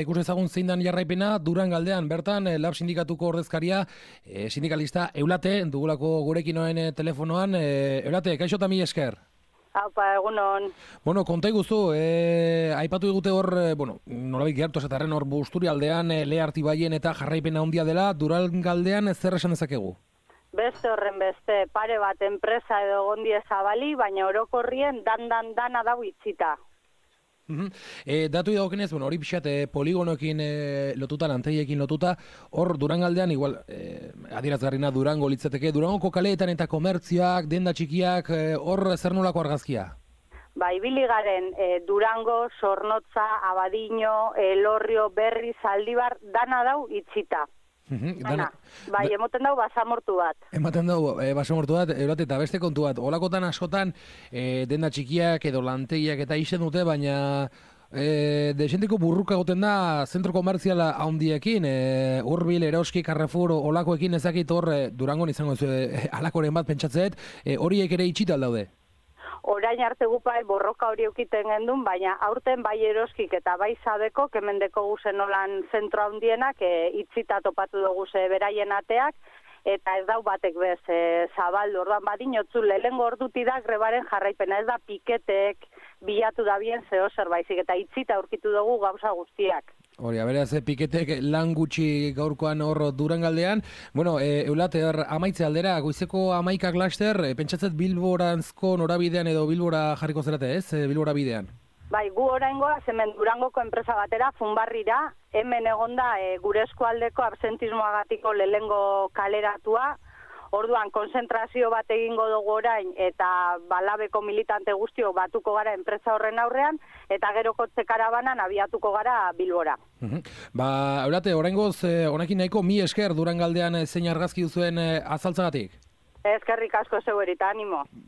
Ikus ezagun zein dan jarraipena, Durangaldean bertan Lab sindikatuko ordezkaria, sindikalista Eulate, dugulako gurekin noen telefonoan. Eulate, kaixo eta mila esker. Aupa, egunon. Bueno, konta iguzu, aipatu digute hor, nolabait gertu esatarren hor Busturialdean, Lehartibaien eta jarraipena handia dela, Durangaldean zer esan dezakegu? Beste horren beste, pare bat enpresa edo gondie zabali, baina orokorrien dana dau itxita. Datu idagokenez, hori pixat poligonoekin lotuta, lantegiekin lotuta, hor Durangaldean, igual, adierazgarrina Durango litzateke, Durangoko kaleetan eta komertzioak, denda txikiak, hor zer nolako argazkia? Ibili garen Durango, Zornotza, Abadiño, Elorrio, Berri, Zaldibar, dana dau itxita. Emoten dau basamortu bat. Ematen dau basamortu bat, Eulate, eta beste kontu bat. Olakotan askotan, denda txikiak edo lantegiak eta izen dute, baina desenteko burruka goten da zentro komertziala handiekin, Urbil, Eroski, Carrefour, olakoekin ezakit hor Durangon izango alakoren bat pentsatzeet, horiek ere itxita aldaude. Orain arte gupai borroka hori eukiten gendun, baina aurten bai Eroskik eta bai Sabeko, kemendeko guzen olan zentro handienak, itxita topatu dugu ze beraien ateak, eta ez dau batek bez zabaldu, orduan badinotzu lehengo orduti da grebaren jarraipena, ez da piketek bilatu da bien zeo zerbaizik, eta itxita aurkitu dugu gauza guztiak. Hori, beraz, piketek lan gutxi gaurkoan hor Durangaldean. Bueno, Eulate, amaitze aldera, goizeko 11 laster, pentsatzet Bilboranzko norabidean edo Bilbora jarriko zerate, ez? Bilbora bidean. Bai, gu oraingoa hemen Durangoko enpresa batera, Funbarrira, hemen egonda gure eskualdeko absentismoagatiko lehengo kaleratua. Orduan, konzentrazio bat egingo dugu orain eta Balabeko militante guztio batuko gara enpresa horren aurrean eta gero kotxe karabanan abiatuko gara Bilbora. Eulate, oraingoz, honekin nahiko mi esker Durangaldean zein argazki duzuen azaltzagatik? Eskerrik asko zeu erita, animo.